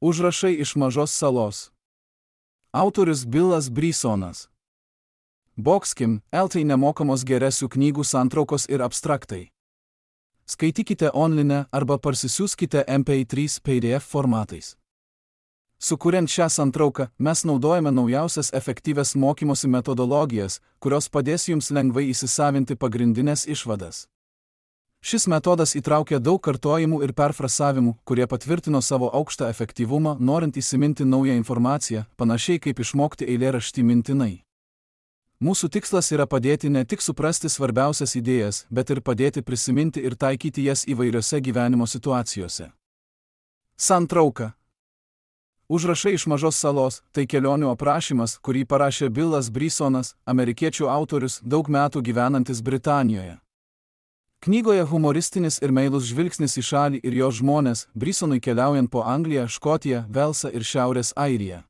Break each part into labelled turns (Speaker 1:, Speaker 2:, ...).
Speaker 1: Užrašai iš mažos salos. Autorius Billas Brysonas. Boxkim, LT nemokamos geresių knygų santraukos ir abstraktai. Skaitykite online arba parsisiųskite MP3 PDF formatais. Sukuriant šią santrauką, mes naudojame naujausias efektyvias mokymosi metodologijas, kurios padės jums lengvai įsisavinti pagrindinės išvadas. Šis metodas įtraukia daug kartojimų ir perfrasavimų, kurie patvirtino savo aukštą efektyvumą, norint įsiminti naują informaciją, panašiai kaip išmokti eilėraštį mintinai. Mūsų tikslas yra padėti ne tik suprasti svarbiausias idėjas, bet ir padėti prisiminti ir taikyti jas įvairiose gyvenimo situacijose. Santrauka. Užrašai iš mažos salos – tai kelionių aprašymas, kurį parašė Billas Brysonas, amerikiečių autorius, daug metų gyvenantis Britanijoje. Knygoje humoristinis ir meilus žvilgsnis į šalį ir jos žmonės, Brysonui keliaujant po Angliją, Škotiją, Velsą ir Šiaurės Airiją.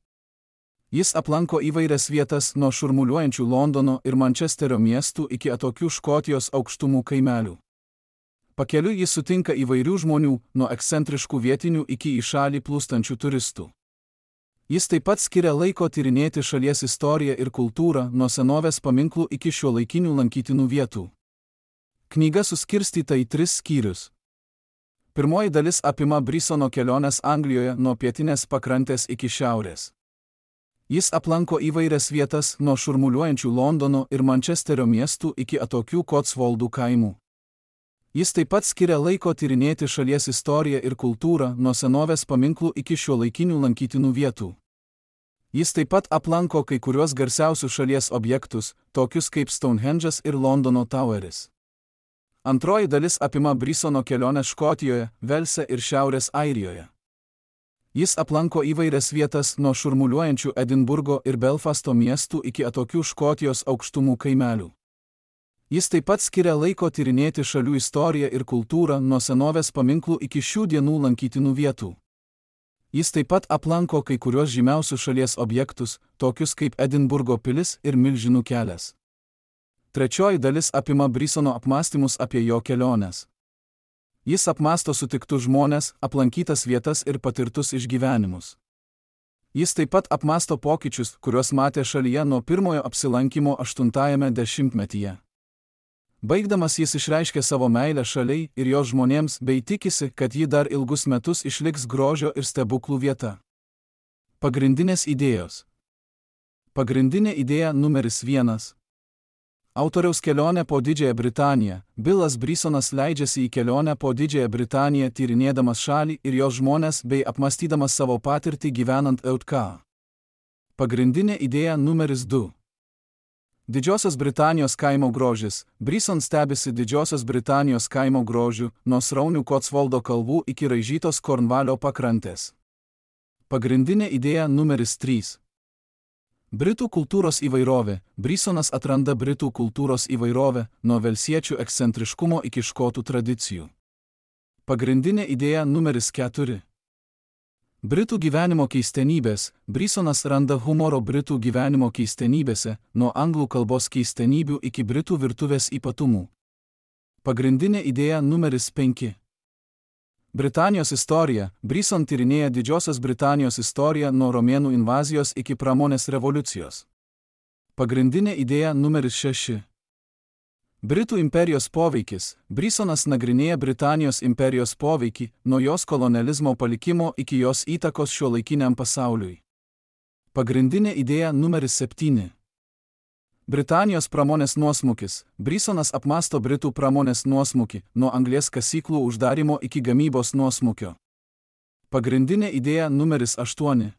Speaker 1: Jis aplanko įvairias vietas nuo šurmuliuojančių Londono ir Mančesterio miestų iki atokių Škotijos aukštumų kaimelių. Pakeliui jis sutinka įvairių žmonių, nuo ekscentriškų vietinių iki į šalį plūstančių turistų. Jis taip pat skiria laiko tyrinėti šalies istoriją ir kultūrą, nuo senovės paminklų iki šiuolaikinių lankytinų vietų. Knyga suskirstyta į 3 skyrius. Pirmoji dalis apima Brysono keliones Anglijoje nuo pietinės pakrantės iki šiaurės. Jis aplanko įvairias vietas nuo šurmuliuojančių Londono ir Mančesterio miestų iki atokių Kotsvoldų kaimų. Jis taip pat skiria laiko tyrinėti šalies istoriją ir kultūrą nuo senovės paminklų iki šiuolaikinių lankytinų vietų. Jis taip pat aplanko kai kuriuos garsiausius šalies objektus, tokius kaip Stonehendžas ir Londono Toweris. Antroji dalis apima Brysono keliones Škotijoje, Velse ir Šiaurės Airijoje. Jis aplanko įvairias vietas nuo šurmuliuojančių Edinburgo ir Belfasto miestų iki atokių Škotijos aukštumų kaimelių. Jis taip pat skiria laiko tyrinėti šalių istoriją ir kultūrą nuo senovės paminklų iki šių dienų lankytinų vietų. Jis taip pat aplanko kai kuriuos žymiausius šalies objektus, tokius kaip Edinburgo pilis ir Milžinų kelias. Trečioji dalis apima Brysono apmąstymus apie jo keliones. Jis apmąsto sutiktus žmones, aplankytas vietas ir patirtus išgyvenimus. Jis taip pat apmąsto pokyčius, kuriuos matė šalyje nuo pirmojo apsilankymo 8-ajame dešimtmetyje. Baigdamas jis išreiškė savo meilę šaliai ir jos žmonėms bei tikisi, kad ji dar ilgus metus išliks grožio ir stebuklų vieta. Pagrindinės idėjos. Pagrindinė idėja numeris 1. Autoriaus kelionė po Didžiąją Britaniją. Billas Brysonas leidžiasi į kelionę po Didžiąją Britaniją tyrinėdamas šalį ir jos žmonės bei apmąstydamas savo patirtį gyvenant EUTK. Pagrindinė idėja numeris 2. Didžiosios Britanijos kaimo grožis. Bryson stebisi Didžiosios Britanijos kaimo grožiu, nuo sraunių Kotsvoldo kalvų iki raižytos Kornvalio pakrantės. Pagrindinė idėja numeris 3. Britų kultūros įvairovė. Brysonas atranda Britų kultūros įvairovę, nuo velsiečių ekscentriškumo iki škotų tradicijų. Pagrindinė idėja numeris 4. Britų gyvenimo keistenybės. Brysonas randa humoro Britų gyvenimo keistenybėse, nuo anglų kalbos keistenybių iki Britų virtuvės ypatumų. Pagrindinė idėja numeris 5. Britanijos istorija. Bryson tyrinėja Didžiosios Britanijos istoriją nuo romėnų invazijos iki pramonės revoliucijos. Pagrindinė idėja numeris 6. Britų imperijos poveikis. Brysonas nagrinėja Britanijos imperijos poveikį, nuo jos kolonializmo palikimo iki jos įtakos šiuolaikiniam pasauliui. Pagrindinė idėja numeris 7. Britanijos pramonės nuosmukis. Brysonas apmąsto Britų pramonės nuosmukį, nuo anglies kasyklų uždarimo iki gamybos nuosmukio. Pagrindinė idėja numeris 8.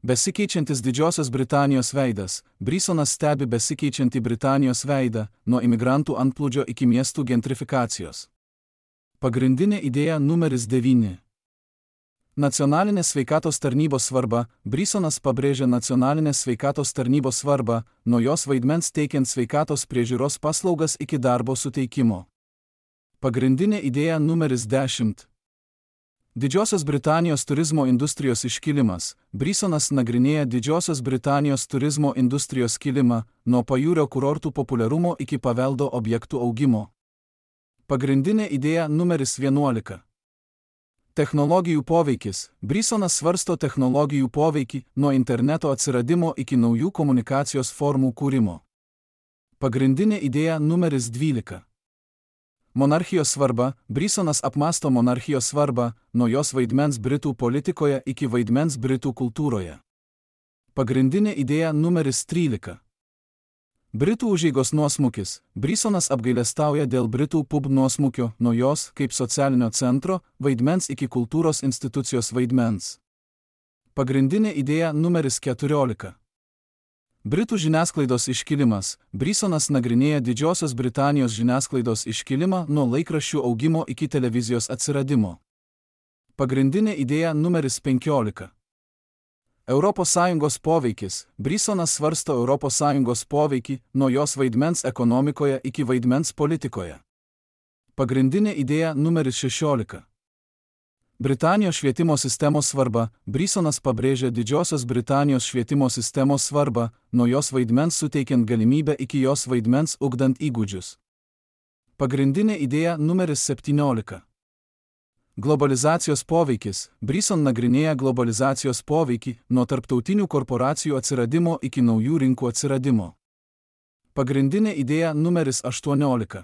Speaker 1: Besikeičiantis Didžiosios Britanijos veidas. Brysonas stebi besikeičiantį Britanijos veidą, nuo imigrantų antplūdžio iki miestų gentrifikacijos. Pagrindinė idėja numeris 9. Nacionalinės sveikatos tarnybos svarba. Brysonas pabrėžia nacionalinės sveikatos tarnybos svarbą, nuo jos vaidmens teikiant sveikatos priežiūros paslaugas iki darbo suteikimo. Pagrindinė idėja numeris 10. Didžiosios Britanijos turizmo industrijos iškilimas. Brysonas nagrinėja Didžiosios Britanijos turizmo industrijos kilimą, nuo pajūrio kurortų populiarumo iki paveldo objektų augimo. Pagrindinė idėja numeris 11. Technologijų poveikis. Brisonas svarsto technologijų poveikį nuo interneto atsiradimo iki naujų komunikacijos formų kūrimo. Pagrindinė idėja numeris 12. Monarchijos svarba. Brisonas apmąsto monarchijos svarbą, nuo jos vaidmens Britų politikoje iki vaidmens Britų kultūroje. Pagrindinė idėja numeris 13. Britų užeigos nuosmukis. Brisonas apgailestauja dėl Britų pub nuosmukio nuo jos, kaip socialinio centro, vaidmens iki kultūros institucijos vaidmens. Pagrindinė idėja numeris 14. Britų žiniasklaidos iškilimas. Brisonas nagrinėja Didžiosios Britanijos žiniasklaidos iškilimą nuo laikraščių augimo iki televizijos atsiradimo. Pagrindinė idėja numeris 15. ES poveikis. Brisonas svarsto ES poveikį nuo jos vaidmens ekonomikoje iki vaidmens politikoje. Pagrindinė idėja numeris 16. Britanijos švietimo sistemos svarba. Brisonas pabrėžia Didžiosios Britanijos švietimo sistemos svarbą, nuo jos vaidmens suteikiant galimybę iki jos vaidmens ugdant įgūdžius. Pagrindinė idėja numeris 17. Globalizacijos poveikis. Brison nagrinėja globalizacijos poveikį nuo tarptautinių korporacijų atsiradimo iki naujų rinkų atsiradimo. Pagrindinė idėja numeris 18.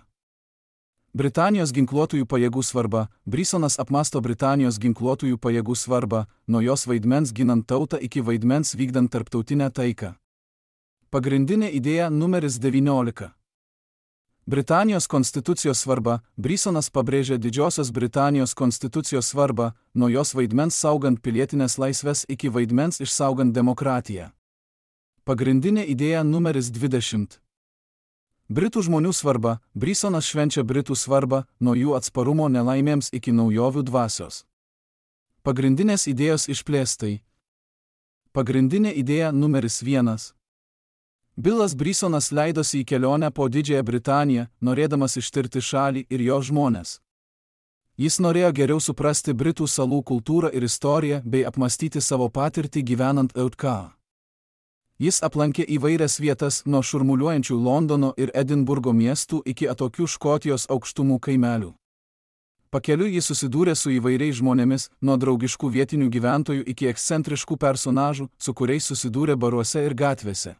Speaker 1: Britanijos ginkluotųjų pajėgų svarba. Brisonas apmąsto Britanijos ginkluotųjų pajėgų svarbą, nuo jos vaidmens ginant tautą iki vaidmens vykdant tarptautinę taiką. Pagrindinė idėja numeris 19. Britanijos konstitucijos svarba. Brisonas pabrėžia Didžiosios Britanijos konstitucijos svarbą, nuo jos vaidmens saugant pilietinės laisvės iki vaidmens išsaugant demokratiją. Pagrindinė idėja numeris 20. Britų žmonių svarba. Brisonas švenčia Britų svarbą, nuo jų atsparumo nelaimėms iki naujovių dvasios. Pagrindinės idėjos išplėstai. Pagrindinė idėja numeris 1. Bilas Brisonas leidosi į kelionę po Didžiąją Britaniją, norėdamas ištirti šalį ir jo žmones. Jis norėjo geriau suprasti Britų salų kultūrą ir istoriją bei apmąstyti savo patirtį gyvenant EUK. Jis aplankė įvairias vietas nuo šurmuliuojančių Londono ir Edinburgo miestų iki atokių Škotijos aukštumų kaimelių. Pakeliui jis susidūrė su įvairiais žmonėmis, nuo draugiškų vietinių gyventojų iki ekscentriškų personažų, su kuriais susidūrė baruose ir gatvėse.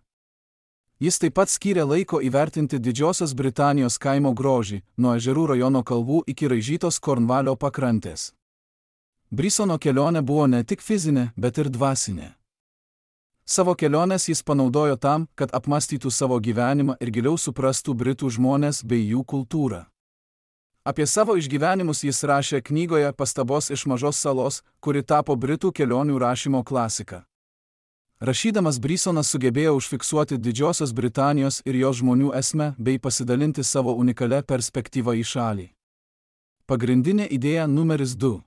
Speaker 1: Jis taip pat skyrė laiko įvertinti Didžiosios Britanijos kaimo grožį, nuo ežerų rajono kalvų iki raižytos Kornvalio pakrantės. Brisono kelionė buvo ne tik fizinė, bet ir dvasinė. Savo keliones jis panaudojo tam, kad apmąstytų savo gyvenimą ir giliau suprastų Britų žmones bei jų kultūrą. Apie savo išgyvenimus jis rašė knygoje Pastabos iš mažos salos, kuri tapo Britų kelionių rašymo klasika. Rašydamas Brisonas sugebėjo užfiksuoti Didžiosios Britanijos ir jos žmonių esmę bei pasidalinti savo unikalią perspektyvą į šalį. Pagrindinė idėja numeris 2.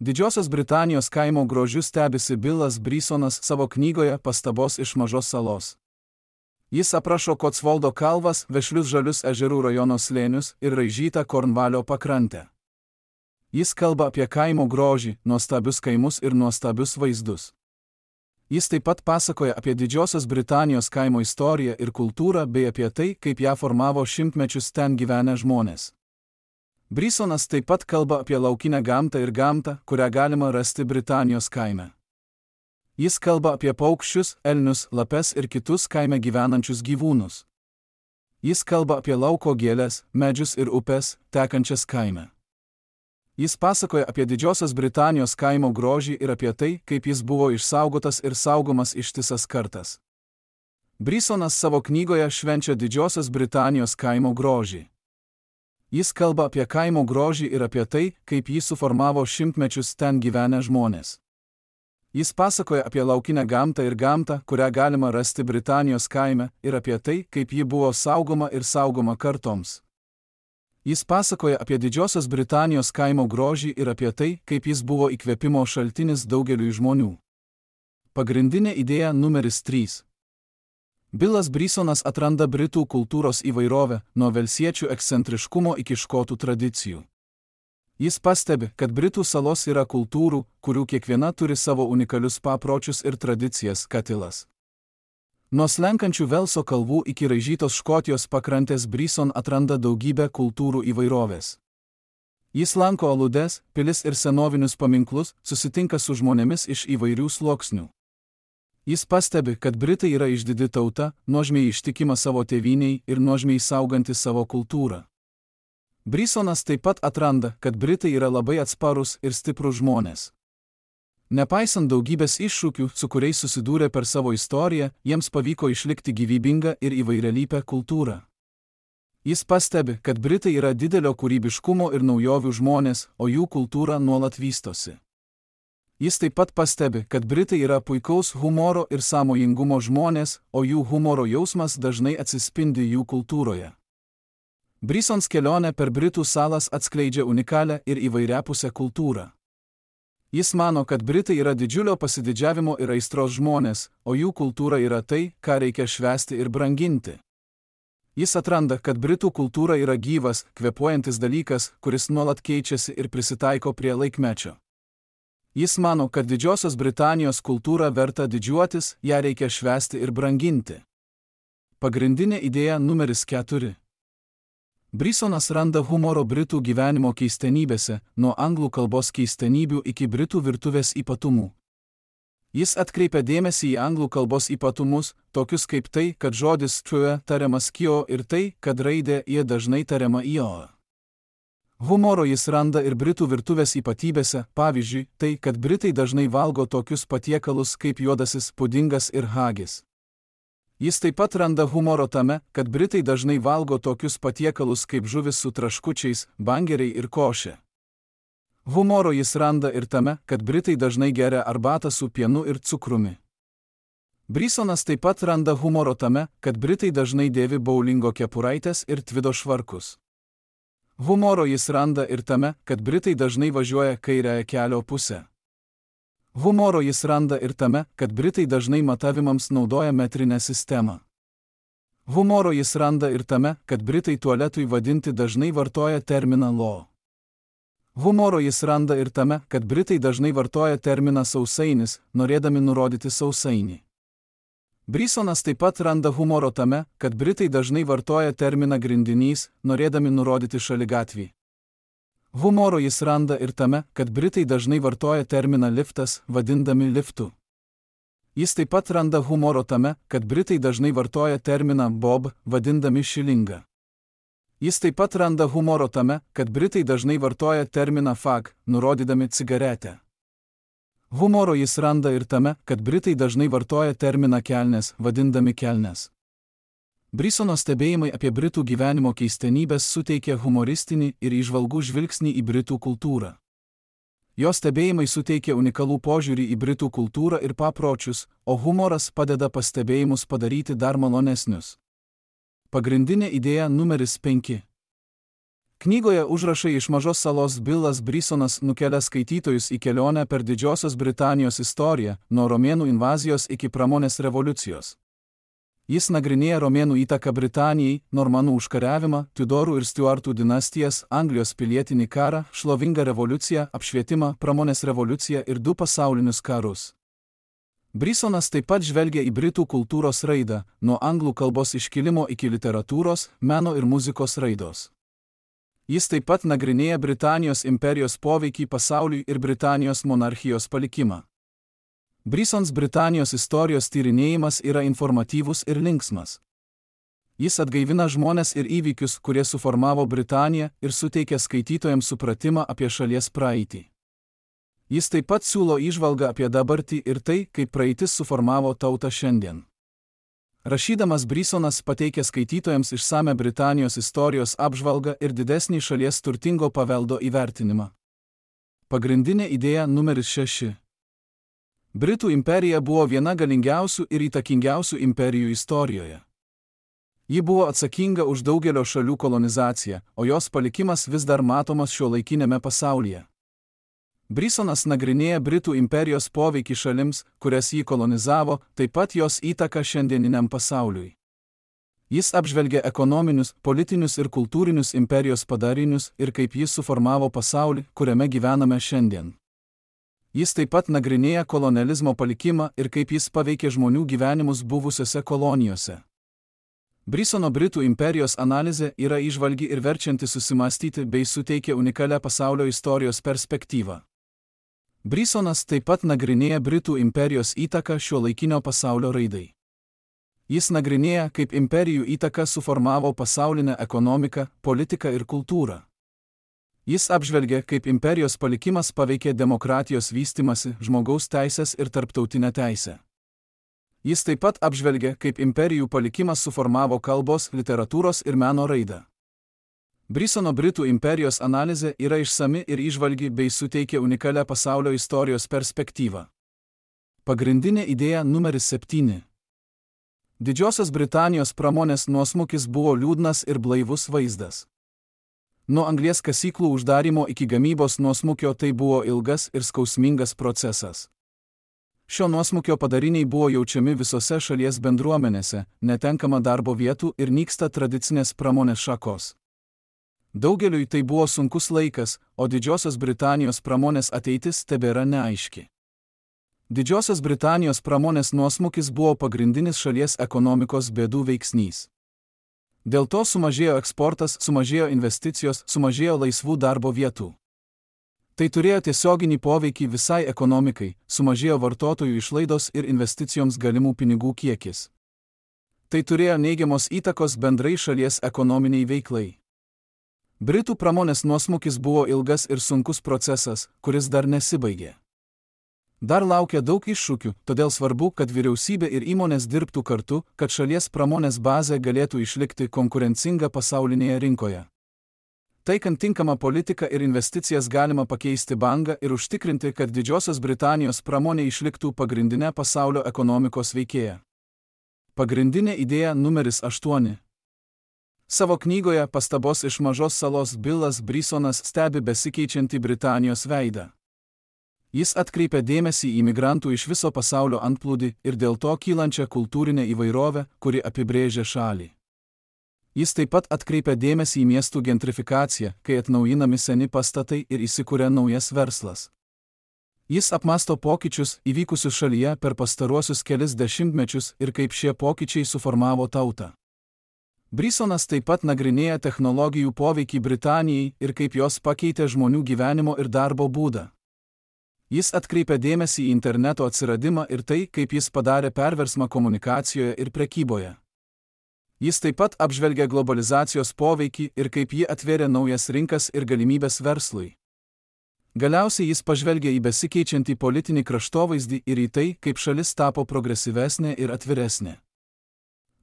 Speaker 1: Didžiosios Britanijos kaimo grožiu stebisi Bilas Brisonas savo knygoje Pastabos iš mažos salos. Jis aprašo Kotsvoldo kalvas, vešlius žalius ežerų rajono slėnius ir raižytą Kornvalio pakrantę. Jis kalba apie kaimo grožį, nuostabius kaimus ir nuostabius vaizdus. Jis taip pat pasakoja apie Didžiosios Britanijos kaimo istoriją ir kultūrą bei apie tai, kaip ją formavo šimtmečius ten gyvenę žmonės. Brisonas taip pat kalba apie laukinę gamtą ir gamtą, kurią galima rasti Britanijos kaime. Jis kalba apie paukščius, elnius, lapes ir kitus kaime gyvenančius gyvūnus. Jis kalba apie lauko gėles, medžius ir upes, tekančias kaime. Jis pasakoja apie Didžiosios Britanijos kaimo grožį ir apie tai, kaip jis buvo išsaugotas ir saugomas ištisas kartas. Brisonas savo knygoje švenčia Didžiosios Britanijos kaimo grožį. Jis kalba apie kaimo grožį ir apie tai, kaip jį suformavo šimtmečius ten gyvenę žmonės. Jis pasakoja apie laukinę gamtą ir gamtą, kurią galima rasti Britanijos kaime, ir apie tai, kaip ji buvo saugoma ir saugoma kartoms. Jis pasakoja apie Didžiosios Britanijos kaimo grožį ir apie tai, kaip jis buvo įkvėpimo šaltinis daugeliui žmonių. Pagrindinė idėja numeris 3. Bilas Brisonas atranda Britų kultūros įvairovę, nuo velsiečių ekscentriškumo iki škotų tradicijų. Jis pastebi, kad Britų salos yra kultūrų, kurių kiekviena turi savo unikalius papročius ir tradicijas, katilas. Nuo slenkančių Velso kalvų iki raižytos Škotijos pakrantės Brison atranda daugybę kultūrų įvairovės. Jis lanko aludes, pilis ir senovinius paminklus, susitinka su žmonėmis iš įvairių sluoksnių. Jis pastebi, kad Britai yra išdidi tauta, nuožmiai ištikima savo tėvynei ir nuožmiai sauganti savo kultūrą. Brisonas taip pat atranda, kad Britai yra labai atsparūs ir stiprūs žmonės. Nepaisant daugybės iššūkių, su kuriais susidūrė per savo istoriją, jiems pavyko išlikti gyvybingą ir įvairialypę kultūrą. Jis pastebi, kad Britai yra didelio kūrybiškumo ir naujovių žmonės, o jų kultūra nuolat vystosi. Jis taip pat pastebi, kad Britai yra puikaus humoro ir sąmojingumo žmonės, o jų humoro jausmas dažnai atsispindi jų kultūroje. Brisons kelionė per Britų salas atskleidžia unikalią ir įvairiapusę kultūrą. Jis mano, kad Britai yra didžiulio pasididžiavimo ir aistros žmonės, o jų kultūra yra tai, ką reikia švęsti ir branginti. Jis atranda, kad Britų kultūra yra gyvas, kvėpuojantis dalykas, kuris nuolat keičiasi ir prisitaiko prie laikmečio. Jis mano, kad Didžiosios Britanijos kultūra verta didžiuotis, ją reikia švęsti ir branginti. Pagrindinė idėja numeris 4. Brisonas randa humoro Britų gyvenimo keistenybėse, nuo anglų kalbos keistenybių iki Britų virtuvės ypatumų. Jis atkreipia dėmesį į anglų kalbos ypatumus, tokius kaip tai, kad žodis true tariamas kio ir tai, kad raidė ie dažnai tariama io. Humoro jis randa ir Britų virtuvės ypatybėse, pavyzdžiui, tai, kad Britai dažnai valgo tokius patiekalus kaip juodasis pudingas ir hagis. Jis taip pat randa humoro tame, kad Britai dažnai valgo tokius patiekalus kaip žuvis su traškučiais, bangeriai ir košė. Humoro jis randa ir tame, kad Britai dažnai geria arbatą su pienu ir cukrumi. Brisonas taip pat randa humoro tame, kad Britai dažnai dėvi boulingo kepuraitės ir tvido švarkus. Humoro jis randa ir tame, kad Britai dažnai važiuoja kairiąją kelio pusę. Humoro jis randa ir tame, kad Britai dažnai matavimams naudoja metrinę sistemą. Humoro jis randa ir tame, kad Britai tualetui vadinti dažnai vartoja terminą lo. Humoro jis randa ir tame, kad Britai dažnai vartoja terminą sausainis, norėdami nurodyti sausainį. Brisonas taip pat randa humoro tame, kad Britai dažnai vartoja terminą grindinys, norėdami nurodyti šaligatvį. Humoro jis randa ir tame, kad Britai dažnai vartoja terminą liftas, vadindami liftu. Jis taip pat randa humoro tame, kad Britai dažnai vartoja terminą bob, vadindami šilingą. Jis taip pat randa humoro tame, kad Britai dažnai vartoja terminą fag, nurodydami cigaretę. Humoro jis randa ir tame, kad Britai dažnai vartoja terminą kelnes, vadindami kelnes. Brisono stebėjimai apie Britų gyvenimo keistenybės suteikia humoristinį ir įžvalgų žvilgsnį į Britų kultūrą. Jo stebėjimai suteikia unikalų požiūrį į Britų kultūrą ir papročius, o humoras padeda pastebėjimus padaryti dar malonesnius. Pagrindinė idėja numeris 5. Knygoje Užrašai iš mažos salos Bilas Brisonas nukelia skaitytojus į kelionę per Didžiosios Britanijos istoriją, nuo romėnų invazijos iki pramonės revoliucijos. Jis nagrinėja romėnų įtaką Britanijai, normanų užkariavimą, Tudorų ir Stuartų dinastijas, Anglijos pilietinį karą, šlovingą revoliuciją, apšvietimą, pramonės revoliuciją ir 2 pasaulinius karus. Brisonas taip pat žvelgia į Britų kultūros raidą, nuo anglų kalbos iškilimo iki literatūros, meno ir muzikos raidos. Jis taip pat nagrinėja Britanijos imperijos poveikį pasauliui ir Britanijos monarchijos palikimą. Brisons Britanijos istorijos tyrinėjimas yra informatyvus ir linksmas. Jis atgaivina žmones ir įvykius, kurie suformavo Britaniją ir suteikia skaitytojams supratimą apie šalies praeitį. Jis taip pat siūlo įžvalgą apie dabartį ir tai, kaip praeitis suformavo tautą šiandien. Rašydamas Brisonas pateikia skaitytojams išsame Britanijos istorijos apžvalgą ir didesnį šalies turtingo paveldo įvertinimą. Pagrindinė idėja numeris 6. Britų imperija buvo viena galingiausių ir įtakingiausių imperijų istorijoje. Ji buvo atsakinga už daugelio šalių kolonizaciją, o jos palikimas vis dar matomas šiuolaikinėme pasaulyje. Brisonas nagrinėja Britų imperijos poveikį šalims, kurias jį kolonizavo, taip pat jos įtaką šiandieniniam pasauliui. Jis apžvelgia ekonominius, politinius ir kultūrinius imperijos padarinius ir kaip jis suformavo pasaulį, kuriame gyvename šiandien. Jis taip pat nagrinėja kolonializmo palikimą ir kaip jis paveikė žmonių gyvenimus buvusiose kolonijose. Brisono Britų imperijos analizė yra įžvalgi ir verčianti susimąstyti bei suteikia unikalią pasaulio istorijos perspektyvą. Brisonas taip pat nagrinėja Britų imperijos įtaką šiuolaikinio pasaulio raidai. Jis nagrinėja, kaip imperijų įtaka suformavo pasaulinę ekonomiką, politiką ir kultūrą. Jis apžvelgia, kaip imperijos palikimas paveikė demokratijos vystimąsi, žmogaus teisės ir tarptautinę teisę. Jis taip pat apžvelgia, kaip imperijų palikimas suformavo kalbos, literatūros ir meno raidą. Brisono Britų imperijos analizė yra išsami ir įžvalgi bei suteikia unikalią pasaulio istorijos perspektyvą. Pagrindinė idėja numeris 7. Didžiosios Britanijos pramonės nuosmukis buvo liūdnas ir blaivus vaizdas. Nuo anglies kasyklų uždarymo iki gamybos nuosmukio tai buvo ilgas ir skausmingas procesas. Šio nuosmukio padariniai buvo jaučiami visose šalies bendruomenėse, netenkama darbo vietų ir nyksta tradicinės pramonės šakos. Daugeliui tai buvo sunkus laikas, o Didžiosios Britanijos pramonės ateitis tebėra neaiški. Didžiosios Britanijos pramonės nuosmukis buvo pagrindinis šalies ekonomikos bėdų veiksnys. Dėl to sumažėjo eksportas, sumažėjo investicijos, sumažėjo laisvų darbo vietų. Tai turėjo tiesioginį poveikį visai ekonomikai, sumažėjo vartotojų išlaidos ir investicijoms galimų pinigų kiekis. Tai turėjo neigiamos įtakos bendrai šalies ekonominiai veiklai. Britų pramonės nuosmukis buvo ilgas ir sunkus procesas, kuris dar nesibaigė. Dar laukia daug iššūkių, todėl svarbu, kad vyriausybė ir įmonės dirbtų kartu, kad šalies pramonės bazė galėtų išlikti konkurencinga pasaulinėje rinkoje. Taikant tinkamą politiką ir investicijas galima pakeisti bangą ir užtikrinti, kad Didžiosios Britanijos pramonė išliktų pagrindinė pasaulio ekonomikos veikėja. Pagrindinė idėja numeris 8. Savo knygoje Pastabos iš mažos salos Billas Brisonas stebi besikeičiantį Britanijos veidą. Jis atkreipia dėmesį į migrantų iš viso pasaulio antplūdį ir dėl to kylančią kultūrinę įvairovę, kuri apibrėžia šalį. Jis taip pat atkreipia dėmesį į miestų gentrifikaciją, kai atnaujinami seni pastatai ir įsikuria naujas verslas. Jis apmąsto pokyčius įvykusius šalyje per pastaruosius kelis dešimtmečius ir kaip šie pokyčiai suformavo tautą. Brisonas taip pat nagrinėja technologijų poveikį Britanijai ir kaip jos pakeitė žmonių gyvenimo ir darbo būdą. Jis atkreipia dėmesį į interneto atsiradimą ir tai, kaip jis padarė perversmą komunikacijoje ir prekyboje. Jis taip pat apžvelgia globalizacijos poveikį ir kaip ji atvėrė naujas rinkas ir galimybės verslui. Galiausiai jis pažvelgia į besikeičiantį politinį kraštovaizdį ir į tai, kaip šalis tapo progresyvesnė ir atviresnė.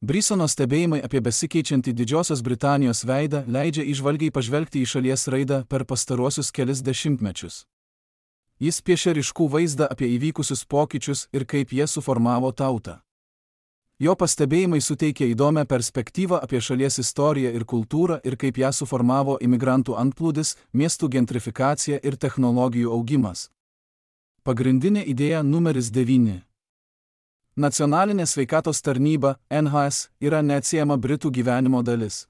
Speaker 1: Brisono stebėjimai apie besikeičiantį Didžiosios Britanijos veidą leidžia įžvalgiai pažvelgti į šalies raidą per pastaruosius kelis dešimtmečius. Jis piešia ryškų vaizdą apie įvykusius pokyčius ir kaip jie suformavo tautą. Jo pastebėjimai suteikia įdomią perspektyvą apie šalies istoriją ir kultūrą ir kaip ją suformavo imigrantų antplūdis, miestų gentrifikacija ir technologijų augimas. Pagrindinė idėja numeris 9. Nacionalinė sveikatos tarnyba, NHS, yra neatsiejama Britų gyvenimo dalis.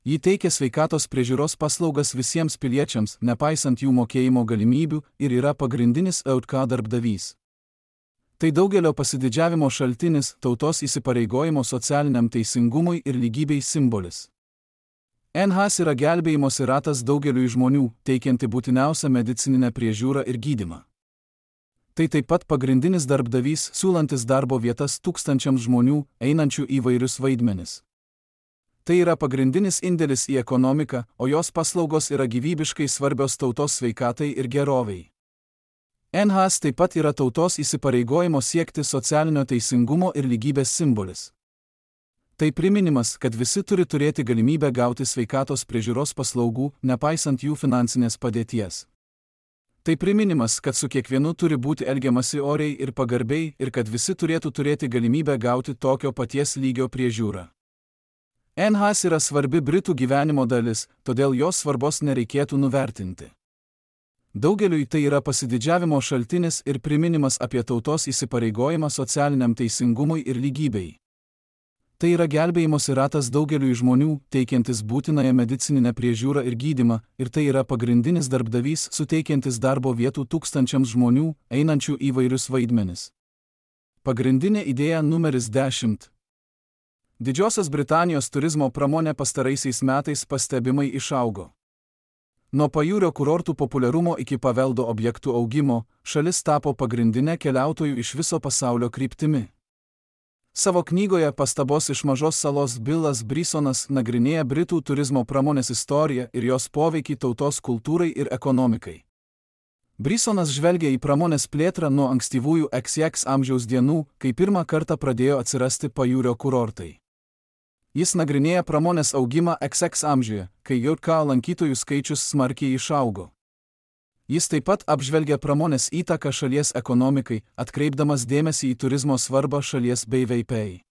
Speaker 1: Ji teikia sveikatos priežiūros paslaugas visiems piliečiams, nepaisant jų mokėjimo galimybių, ir yra pagrindinis EUTK darbdavys. Tai daugelio pasididžiavimo šaltinis, tautos įsipareigojimo socialiniam teisingumui ir lygybei simbolis. NHS yra gelbėjimosi ratas daugeliui žmonių, teikianti būtiniausią medicininę priežiūrą ir gydymą. Tai taip pat pagrindinis darbdavys, siūlantis darbo vietas tūkstančiams žmonių, einančių įvairius vaidmenis. Tai yra pagrindinis indėlis į ekonomiką, o jos paslaugos yra gyvybiškai svarbios tautos sveikatai ir geroviai. NHS taip pat yra tautos įsipareigojimo siekti socialinio teisingumo ir lygybės simbolis. Tai priminimas, kad visi turi turėti galimybę gauti sveikatos priežiūros paslaugų, nepaisant jų finansinės padėties. Tai priminimas, kad su kiekvienu turi būti elgiamasi oriai ir pagarbiai ir kad visi turėtų turėti galimybę gauti tokio paties lygio priežiūrą. NHS yra svarbi Britų gyvenimo dalis, todėl jos svarbos nereikėtų nuvertinti. Daugeliui tai yra pasididžiavimo šaltinis ir priminimas apie tautos įsipareigojimą socialiniam teisingumui ir lygybei. Tai yra gelbėjimosi ratas daugeliui žmonių, teikiantis būtinąją medicininę priežiūrą ir gydymą, ir tai yra pagrindinis darbdavys, suteikiantis darbo vietų tūkstančiams žmonių, einančių įvairius vaidmenis. Pagrindinė idėja numeris 10. Didžiosios Britanijos turizmo pramonė pastaraisiais metais pastebimai išaugo. Nuo pajūrio kurortų populiarumo iki paveldo objektų augimo, šalis tapo pagrindinė keliautojų iš viso pasaulio kryptimi. Savo knygoje Pastabos iš mažos salos Billas Brisonas nagrinėja Britų turizmo pramonės istoriją ir jos poveikį tautos kultūrai ir ekonomikai. Brisonas žvelgia į pramonės plėtrą nuo ankstyvųjų XX amžiaus dienų, kai pirmą kartą pradėjo atsirasti pajūrio kurortai. Jis nagrinėja pramonės augimą XX amžiuje, kai JK lankytojų skaičius smarkiai išaugo. Jis taip pat apžvelgia pramonės įtaką šalies ekonomikai, atkreipdamas dėmesį į turizmo svarbą šalies BVP.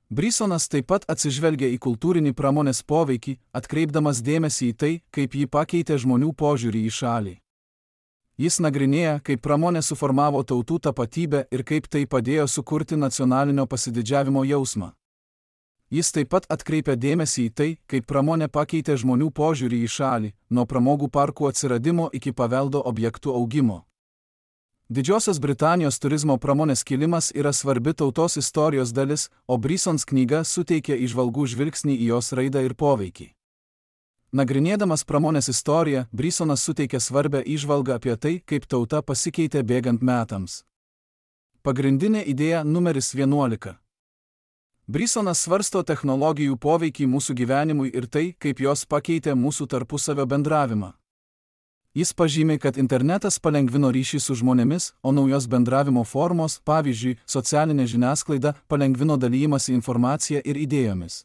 Speaker 1: Brisonas taip pat atsižvelgia į kultūrinį pramonės poveikį, atkreipdamas dėmesį į tai, kaip jį pakeitė žmonių požiūrį į šalį. Jis nagrinėja, kaip pramonė suformavo tautų tapatybę ir kaip tai padėjo sukurti nacionalinio pasididžiavimo jausmą. Jis taip pat atkreipia dėmesį į tai, kaip pramonė pakeitė žmonių požiūrį į šalį, nuo pramogų parkų atsiradimo iki paveldo objektų augimo. Didžiosios Britanijos turizmo pramonės kilimas yra svarbi tautos istorijos dalis, o Brisons knyga suteikia įžvalgų žvilgsnį į jos raidą ir poveikį. Nagrinėdamas pramonės istoriją, Brisonas suteikia svarbę įžvalgą apie tai, kaip tauta pasikeitė bėgant metams. Pagrindinė idėja numeris 11. Brisonas svarsto technologijų poveikį mūsų gyvenimui ir tai, kaip jos pakeitė mūsų tarpusavio bendravimą. Jis pažymi, kad internetas palengvino ryšį su žmonėmis, o naujos bendravimo formos, pavyzdžiui, socialinė žiniasklaida, palengvino dalymąsi informacija ir idėjomis.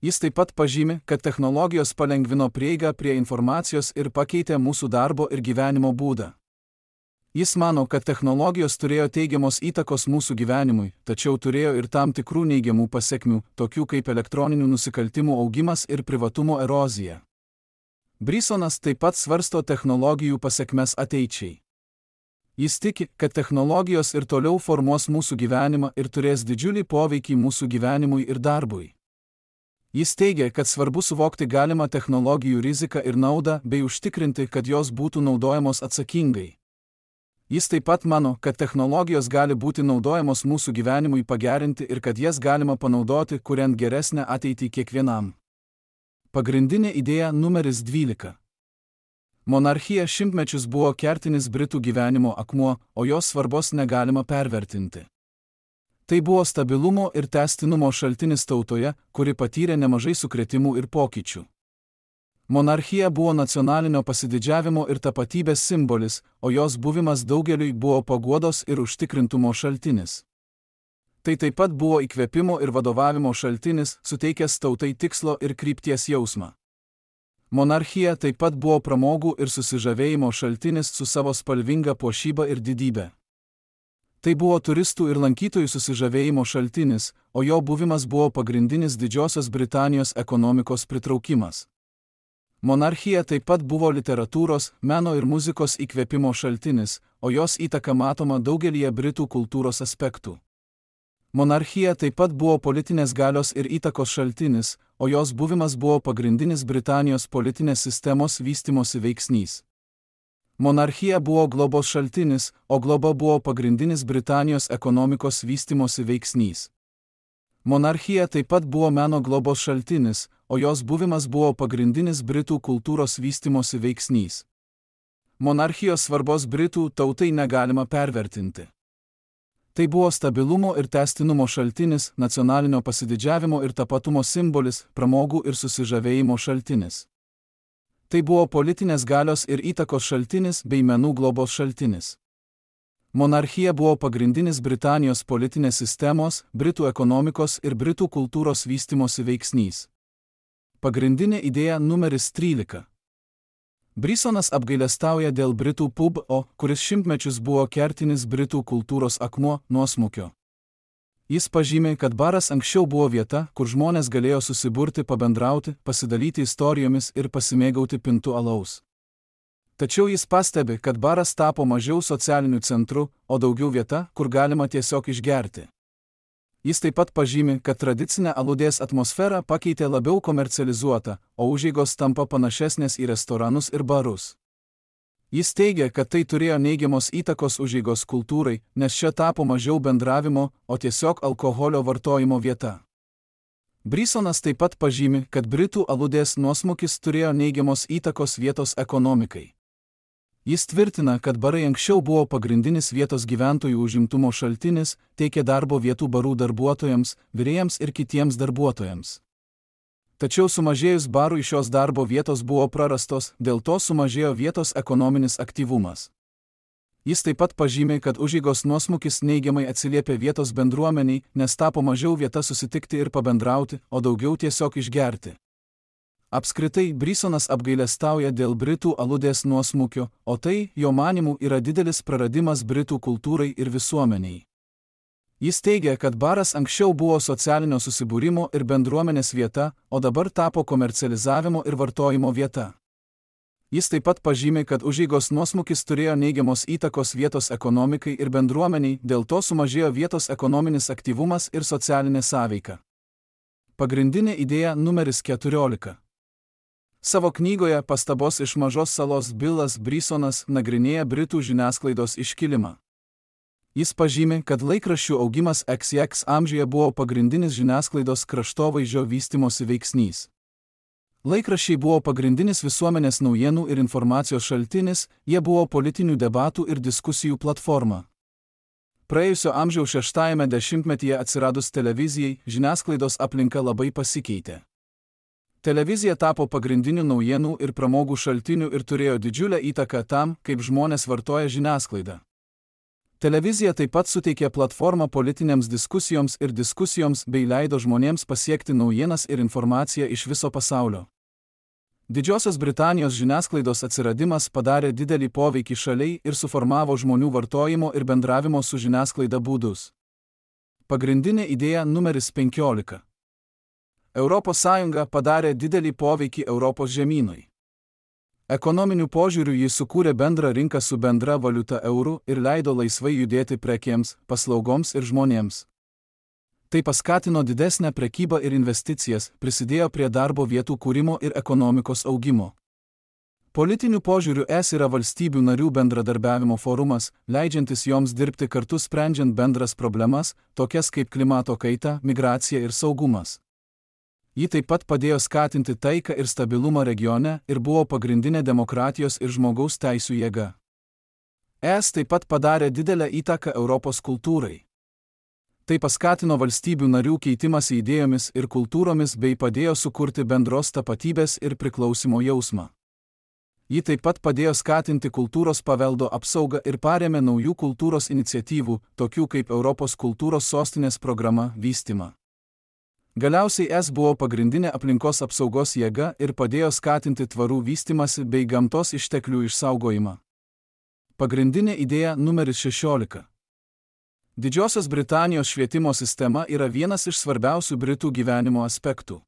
Speaker 1: Jis taip pat pažymi, kad technologijos palengvino prieigą prie informacijos ir pakeitė mūsų darbo ir gyvenimo būdą. Jis mano, kad technologijos turėjo teigiamos įtakos mūsų gyvenimui, tačiau turėjo ir tam tikrų neigiamų pasekmių, tokių kaip elektroninių nusikaltimų augimas ir privatumo erozija. Brisonas taip pat svarsto technologijų pasekmes ateičiai. Jis tiki, kad technologijos ir toliau formuos mūsų gyvenimą ir turės didžiulį poveikį mūsų gyvenimui ir darbui. Jis teigia, kad svarbu suvokti galimą technologijų riziką ir naudą bei užtikrinti, kad jos būtų naudojamos atsakingai. Jis taip pat mano, kad technologijos gali būti naudojamos mūsų gyvenimui pagerinti ir kad jas galima panaudoti, kuriant geresnę ateitį kiekvienam. Pagrindinė idėja numeris 12. Monarchija šimtmečius buvo kertinis Britų gyvenimo akmuo, o jos svarbos negalima pervertinti. Tai buvo stabilumo ir tęstinumo šaltinis tautoje, kuri patyrė nemažai sukrėtimų ir pokyčių. Monarchija buvo nacionalinio pasididžiavimo ir tapatybės simbolis, o jos buvimas daugeliui buvo paguodos ir užtikrintumo šaltinis. Tai taip pat buvo įkvėpimo ir vadovavimo šaltinis, suteikęs tautai tikslo ir krypties jausmą. Monarchija taip pat buvo pramogų ir susižavėjimo šaltinis su savo spalvinga puošyba ir didybė. Tai buvo turistų ir lankytojų susižavėjimo šaltinis, o jo buvimas buvo pagrindinis Didžiosios Britanijos ekonomikos pritraukimas. Monarchija taip pat buvo literatūros, meno ir muzikos įkvėpimo šaltinis, o jos įtaka matoma daugelyje Britų kultūros aspektų. Monarchija taip pat buvo politinės galios ir įtakos šaltinis, o jos buvimas buvo pagrindinis Britanijos politinės sistemos vystymosi veiksnys. Monarchija buvo globos šaltinis, o globa buvo pagrindinis Britanijos ekonomikos vystymosi veiksnys. Monarchija taip pat buvo meno globos šaltinis, o jos buvimas buvo pagrindinis Britų kultūros vystymosi veiksnys. Monarchijos svarbos Britų tautai negalima pervertinti. Tai buvo stabilumo ir tęstinumo šaltinis, nacionalinio pasididžiavimo ir tapatumo simbolis, pramogų ir susižavėjimo šaltinis. Tai buvo politinės galios ir įtakos šaltinis bei menų globos šaltinis. Monarchija buvo pagrindinis Britanijos politinės sistemos, Britų ekonomikos ir Britų kultūros vystymosi veiksnys. Pagrindinė idėja numeris 13. Brisonas apgailestauja dėl Britų pub-o, kuris šimtmečius buvo kertinis Britų kultūros akmuo, nuosmukio. Jis pažymė, kad baras anksčiau buvo vieta, kur žmonės galėjo susiburti, pabendrauti, pasidalyti istorijomis ir pasimėgauti pintų alaus. Tačiau jis pastebi, kad baras tapo mažiau socialiniu centru, o daugiau vieta, kur galima tiesiog išgerti. Jis taip pat pažymi, kad tradicinę aludės atmosferą pakeitė labiau komercializuota, o užeigos tampa panašesnės į restoranus ir barus. Jis teigia, kad tai turėjo neigiamos įtakos užeigos kultūrai, nes čia tapo mažiau bendravimo, o tiesiog alkoholio vartojimo vieta. Brisonas taip pat pažymi, kad Britų aludės nuosmukis turėjo neigiamos įtakos vietos ekonomikai. Jis tvirtina, kad barai anksčiau buvo pagrindinis vietos gyventojų užimtumo šaltinis, teikė darbo vietų barų darbuotojams, virėjams ir kitiems darbuotojams. Tačiau sumažėjus barui šios darbo vietos buvo prarastos, dėl to sumažėjo vietos ekonominis aktyvumas. Jis taip pat pažymi, kad užeigos nuosmukis neigiamai atsiliepė vietos bendruomeniai, nes tapo mažiau vieta susitikti ir pabendrauti, o daugiau tiesiog išgerti. Apskritai, Brisonas apgailestauja dėl Britų aludės nuosmukio, o tai, jo manymu, yra didelis praradimas Britų kultūrai ir visuomeniai. Jis teigia, kad baras anksčiau buvo socialinio susibūrimo ir bendruomenės vieta, o dabar tapo komercializavimo ir vartojimo vieta. Jis taip pat pažymi, kad užeigos nuosmukis turėjo neigiamos įtakos vietos ekonomikai ir bendruomeniai, dėl to sumažėjo vietos ekonominis aktyvumas ir socialinė sąveika. Pagrindinė idėja numeris 14. Savo knygoje Pastabos iš mažos salos Billas Brisonas nagrinėja Britų žiniasklaidos iškilimą. Jis pažymi, kad laikraščių augimas XX amžiuje buvo pagrindinis žiniasklaidos kraštovaizdžio vystymosi veiksnys. Laikraščiai buvo pagrindinis visuomenės naujienų ir informacijos šaltinis, jie buvo politinių debatų ir diskusijų platforma. Praėjusio amžiaus 6-ame dešimtmetyje atsiradus televizijai, žiniasklaidos aplinka labai pasikeitė. Televizija tapo pagrindiniu naujienų ir pramogų šaltiniu ir turėjo didžiulę įtaką tam, kaip žmonės vartoja žiniasklaidą. Televizija taip pat suteikė platformą politinėms diskusijoms ir diskusijoms bei leido žmonėms pasiekti naujienas ir informaciją iš viso pasaulio. Didžiosios Britanijos žiniasklaidos atsiradimas padarė didelį poveikį šaliai ir suformavo žmonių vartojimo ir bendravimo su žiniasklaida būdus. Pagrindinė idėja numeris 15. Europos Sąjunga padarė didelį poveikį Europos žemynui. Ekonominiu požiūriu jis sukūrė bendrą rinką su bendra valiuta euru ir leido laisvai judėti prekėms, paslaugoms ir žmonėms. Tai paskatino didesnę prekybą ir investicijas, prisidėjo prie darbo vietų kūrimo ir ekonomikos augimo. Politiniu požiūriu ES yra valstybių narių bendradarbiavimo forumas, leidžiantis joms dirbti kartu sprendžiant bendras problemas, tokias kaip klimato kaita, migracija ir saugumas. Ji taip pat padėjo skatinti taiką ir stabilumą regione ir buvo pagrindinė demokratijos ir žmogaus teisių jėga. ES taip pat padarė didelę įtaką Europos kultūrai. Tai paskatino valstybių narių keitimąsi idėjomis ir kultūromis bei padėjo sukurti bendros tapatybės ir priklausimo jausmą. Ji taip pat padėjo skatinti kultūros paveldo apsaugą ir parėmė naujų kultūros iniciatyvų, tokių kaip Europos kultūros sostinės programa, vystymą. Galiausiai ES buvo pagrindinė aplinkos apsaugos jėga ir padėjo skatinti tvarų vystymąsi bei gamtos išteklių išsaugojimą. Pagrindinė idėja numeris 16. Didžiosios Britanijos švietimo sistema yra vienas iš svarbiausių Britų gyvenimo aspektų.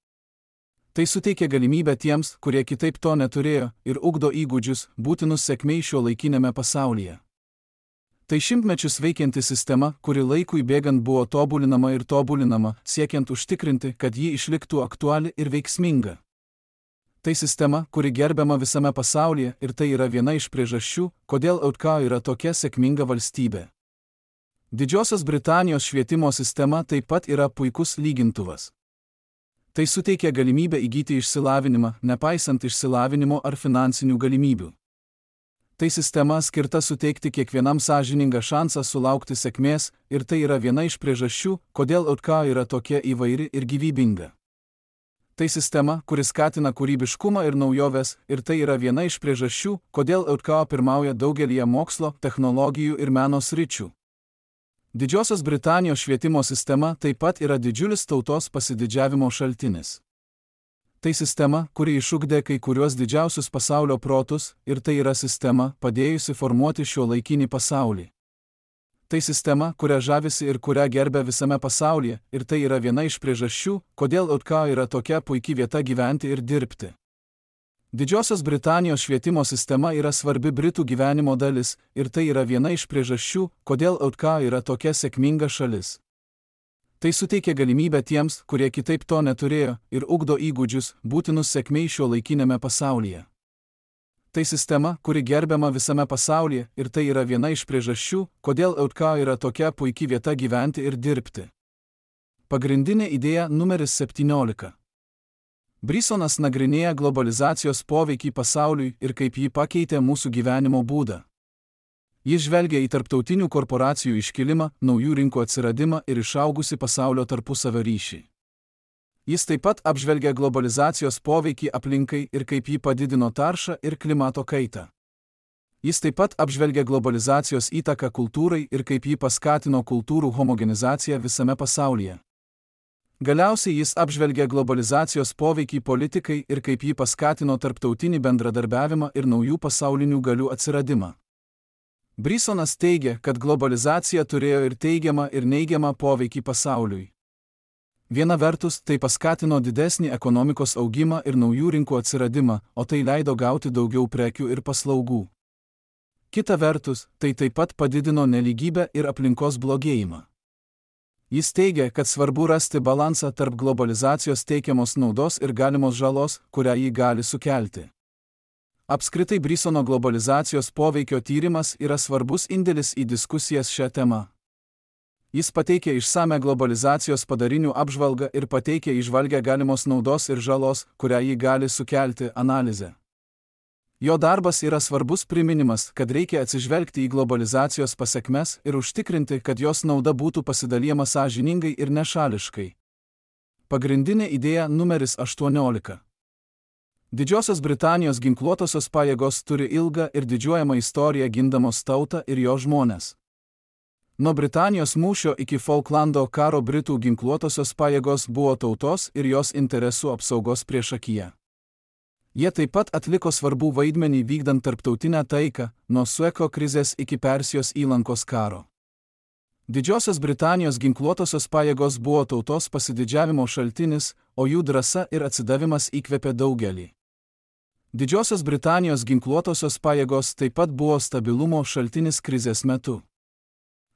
Speaker 1: Tai suteikia galimybę tiems, kurie kitaip to neturėjo, ir ugdo įgūdžius, būtinus sėkmei šiuolaikiniame pasaulyje. Tai šimtmečius veikianti sistema, kuri laikui bėgant buvo tobulinama, siekiant užtikrinti, kad ji išliktų aktuali ir veiksminga. Tai sistema, kuri gerbiama visame pasaulyje ir tai yra viena iš priežasčių, kodėl UK yra tokia sėkminga valstybė. Didžiosios Britanijos švietimo sistema taip pat yra puikus lygintuvas. Tai suteikia galimybę įgyti išsilavinimą, nepaisant išsilavinimo ar finansinių galimybių. Tai sistema skirta suteikti kiekvienam sąžiningą šansą sulaukti sėkmės ir tai yra viena iš priežasčių, kodėl UK yra tokia įvairi ir gyvybinga. Tai sistema, kuri skatina kūrybiškumą ir naujoves ir tai yra viena iš priežasčių, kodėl UK pirmauja daugelyje mokslo, technologijų ir meno sričių. Didžiosios Britanijos švietimo sistema taip pat yra didžiulis tautos pasididžiavimo šaltinis. Tai sistema, kuri išugdė kai kuriuos didžiausius pasaulio protus ir tai yra sistema, padėjusi formuoti šiuolaikinį pasaulį. Tai sistema, kuria žavisi ir kurią gerbia visame pasaulyje ir tai yra viena iš priežasčių, kodėl UK yra tokia puikia vieta gyventi ir dirbti. Didžiosios Britanijos švietimo sistema yra svarbi Britų gyvenimo dalis ir tai yra viena iš priežasčių, kodėl UK yra tokia sėkminga šalis. Tai suteikia galimybę tiems, kurie kitaip to neturėjo, ir ugdo įgūdžius, būtinus sėkmei šiuolaikiniame pasaulyje. Tai sistema, kuri gerbiama visame pasaulyje ir tai yra viena iš priežasčių, kodėl UK yra tokia puikia vieta gyventi ir dirbti. Pagrindinė idėja numeris 17. Brisonas nagrinėja globalizacijos poveikį pasauliui ir kaip jį pakeitė mūsų gyvenimo būdą. Jis žvelgia į tarptautinių korporacijų iškilimą, naujų rinkų atsiradimą ir išaugusi pasaulio tarpusavio ryšį. Jis taip pat apžvelgia globalizacijos poveikį aplinkai ir kaip jį padidino taršą ir klimato kaitą. Jis taip pat apžvelgia globalizacijos įtaką kultūrai ir kaip jį paskatino kultūrų homogenizaciją visame pasaulyje. Galiausiai jis apžvelgia globalizacijos poveikį politikai ir kaip jį paskatino tarptautinį bendradarbiavimą ir naujų pasaulinių galių atsiradimą. Brisonas teigia, kad globalizacija turėjo ir teigiamą ir neigiamą poveikį pasauliui. Viena vertus, tai paskatino didesnį ekonomikos augimą ir naujų rinkų atsiradimą, o tai leido gauti daugiau prekių ir paslaugų. Kita vertus, tai taip pat padidino nelygybę ir aplinkos blogėjimą. Jis teigia, kad svarbu rasti balansą tarp globalizacijos teikiamos naudos ir galimos žalos, kurią ji gali sukelti. Apskritai Brisono globalizacijos poveikio tyrimas yra svarbus indėlis į diskusijas šią temą. Jis pateikia išsame globalizacijos padarinių apžvalgą ir pateikia įžvalgią galimos naudos ir žalos, kurią ji gali sukelti analizę. Jo darbas yra svarbus priminimas, kad reikia atsižvelgti į globalizacijos pasekmes ir užtikrinti, kad jos nauda būtų pasidalijama sąžiningai ir nešališkai. Pagrindinė idėja numeris 18. Didžiosios Britanijos ginkluotosios pajėgos turi ilgą ir didžiuojamą istoriją gindamos tautą ir jo žmones. Nuo Britanijos mūšio iki Falklando karo Britų ginkluotosios pajėgos buvo tautos ir jos interesų apsaugos priešakyje. Jie taip pat atliko svarbų vaidmenį vykdant tarptautinę taiką, nuo Sueko krizės iki Persijos įlankos karo. Didžiosios Britanijos ginkluotosios pajėgos buvo tautos pasididžiavimo šaltinis, o jų drąsa ir atsidavimas įkvėpė daugelį. Didžiosios Britanijos ginkluotosios pajėgos taip pat buvo stabilumo šaltinis krizės metu.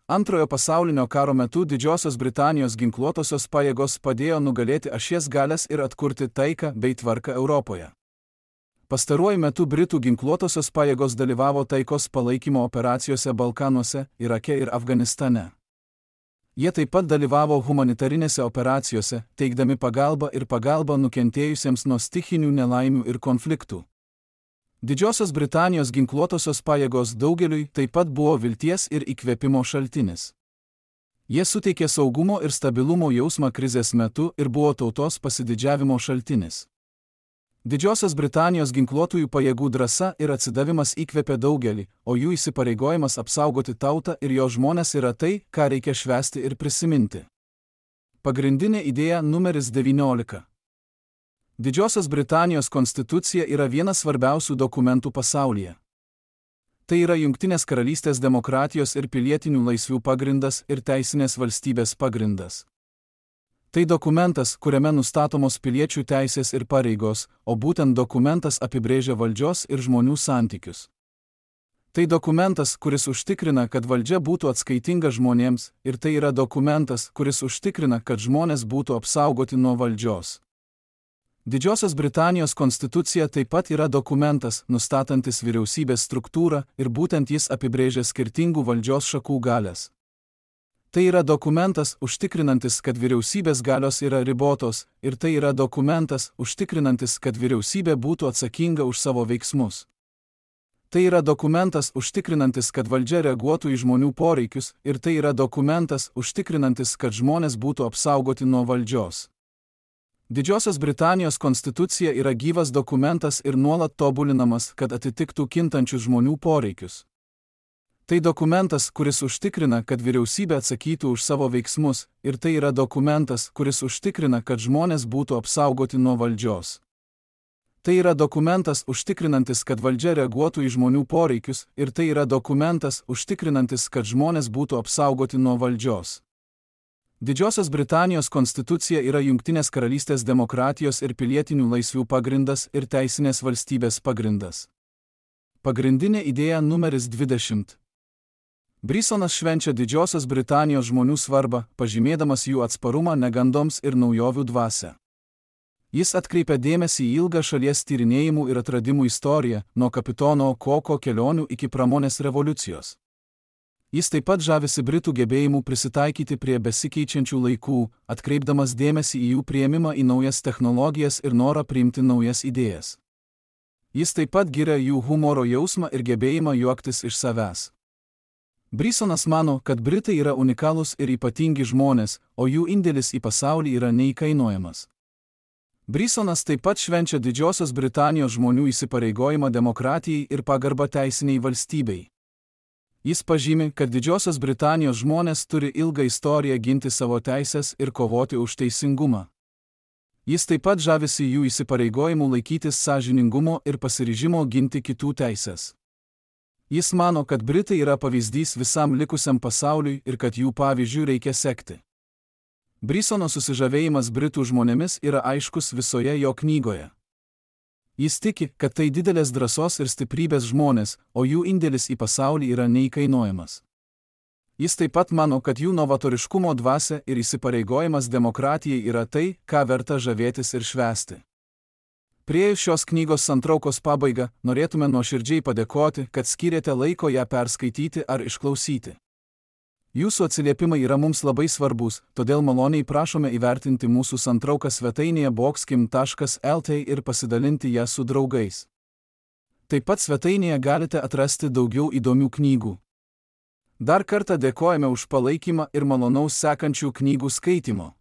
Speaker 1: Antrojo pasaulinio karo metu Didžiosios Britanijos ginkluotosios pajėgos padėjo nugalėti ašies galias ir atkurti taiką bei tvarką Europoje. Pastaruoju metu Britų ginkluotosios pajėgos dalyvavo taikos palaikymo operacijose Balkanuose, Irake ir Afganistane. Jie taip pat dalyvavo humanitarinėse operacijose, teikdami pagalbą nukentėjusiems nuo stichinių nelaimių ir konfliktų. Didžiosios Britanijos ginkluotosios pajėgos daugeliui taip pat buvo vilties ir įkvėpimo šaltinis. Jie suteikė saugumo ir stabilumo jausmą krizės metu ir buvo tautos pasididžiavimo šaltinis. Didžiosios Britanijos ginkluotųjų pajėgų drąsa ir atsidavimas įkvėpė daugelį, o jų įsipareigojimas apsaugoti tautą ir jo žmones yra tai, ką reikia švęsti ir prisiminti. Pagrindinė idėja numeris 19. Didžiosios Britanijos konstitucija yra vienas svarbiausių dokumentų pasaulyje. Tai yra Jungtinės karalystės demokratijos ir pilietinių laisvių pagrindas ir teisinės valstybės pagrindas. Tai dokumentas, kuriame nustatomos piliečių teisės ir pareigos, o būtent dokumentas apibrėžia valdžios ir žmonių santykius. Tai dokumentas, kuris užtikrina, kad valdžia būtų atskaitinga žmonėms, ir tai yra dokumentas, kuris užtikrina, kad žmonės būtų apsaugoti nuo valdžios. Didžiosios Britanijos konstitucija taip pat yra dokumentas, nustatantis vyriausybės struktūrą ir būtent jis apibrėžia skirtingų valdžios šakų galias. Tai yra dokumentas, užtikrinantis, kad vyriausybės galios yra ribotos, ir tai yra dokumentas, užtikrinantis, kad vyriausybė būtų atsakinga už savo veiksmus. Tai yra dokumentas, užtikrinantis, kad valdžia reaguotų į žmonių poreikius, ir tai yra dokumentas, užtikrinantis, kad žmonės būtų apsaugoti nuo valdžios. Didžiosios Britanijos konstitucija yra gyvas dokumentas ir nuolat tobulinamas, kad atitiktų kintančius žmonių poreikius. Tai dokumentas, kuris užtikrina, kad vyriausybė atsakytų už savo veiksmus, ir tai yra dokumentas, kuris užtikrina, kad žmonės būtų apsaugoti nuo valdžios. Tai yra dokumentas, užtikrinantis, kad valdžia reaguotų į žmonių poreikius, ir tai yra dokumentas, užtikrinantis, kad žmonės būtų apsaugoti nuo valdžios. Didžiosios Britanijos konstitucija yra Jungtinės karalystės demokratijos ir pilietinių laisvių pagrindas ir teisinės valstybės pagrindas. Pagrindinė idėja numeris 20. Brisonas švenčia Didžiosios Britanijos žmonių svarbą, pažymėdamas jų atsparumą negandoms ir naujovių dvasią. Jis atkreipia dėmesį į ilgą šalies tyrinėjimų ir atradimų istoriją, nuo kapitono Koko kelionių iki pramonės revoliucijos. Jis taip pat žavisi Britų gebėjimu prisitaikyti prie besikeičiančių laikų, atkreipdamas dėmesį į jų priėmimą į naujas technologijas ir norą priimti naujas idėjas. Jis taip pat giria jų humoro jausmą ir gebėjimą juoktis iš savęs. Brisonas mano, kad Britai yra unikalūs ir ypatingi žmonės, o jų indėlis į pasaulį yra neįkainojamas. Brisonas taip pat švenčia Didžiosios Britanijos žmonių įsipareigojimą demokratijai ir pagarbą teisiniai valstybei. Jis pažymi, kad Didžiosios Britanijos žmonės turi ilgą istoriją ginti savo teisės ir kovoti už teisingumą. Jis taip pat žavisi jų įsipareigojimu laikytis sąžiningumo ir pasiryžimo ginti kitų teisės. Jis mano, kad Britai yra pavyzdys visam likusiam pasauliui ir kad jų pavyzdžių reikia sekti. Brisono susižavėjimas Britų žmonėmis yra aiškus visoje jo knygoje. Jis tiki, kad tai didelės drąsos ir stiprybės žmonės, o jų indėlis į pasaulį yra neįkainojamas. Jis taip pat mano, kad jų novatoriškumo dvasia ir įsipareigojimas demokratijai yra tai, ką verta žavėtis ir švęsti. Priėjus šios knygos santraukos pabaigą, norėtume nuoširdžiai padėkoti, kad skyrėte laiko ją perskaityti ar išklausyti. Jūsų atsiliepimai yra mums labai svarbus, todėl maloniai prašome įvertinti mūsų santrauką svetainėje boxkim.lt ir pasidalinti ją su draugais. Taip pat svetainėje galite atrasti daugiau įdomių knygų. Dar kartą dėkojame už palaikymą ir malonaus sekančių knygų skaitimo.